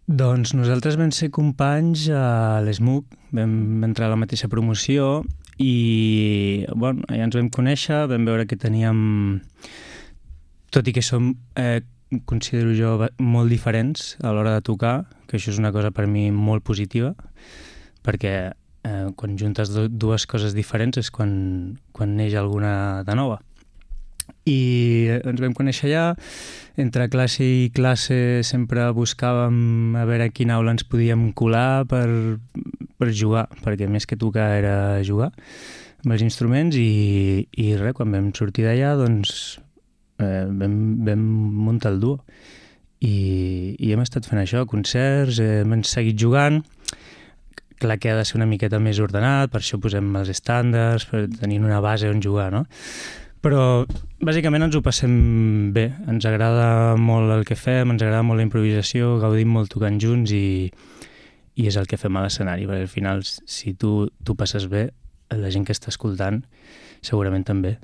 Doncs nosaltres vam ser companys a l'ESMUC, vam entrar a la mateixa promoció i bueno, allà ens vam conèixer, vam veure que teníem, tot i que som, considero jo, molt diferents a l'hora de tocar, que això és una cosa per mi molt positiva, perquè quan juntes dues coses diferents és quan neix alguna de nova. I ens vam conèixer allà, entre classe i classe sempre buscàvem a veure a quina aula ens podíem colar per jugar, perquè més que tocar era jugar amb els instruments i res, quan vam sortir d'allà doncs vam muntar el duo i hem estat fent això, concerts, hem seguit jugant. Clar que ha de ser una miqueta més ordenat, per això posem els estàndards, per tenir una base on jugar, no? Però bàsicament ens ho passem bé, ens agrada molt el que fem, ens agrada molt la improvisació, gaudim molt tocant junts i és el que fem a l'escenari, perquè al final si tu passes bé, la gent que està escoltant segurament també.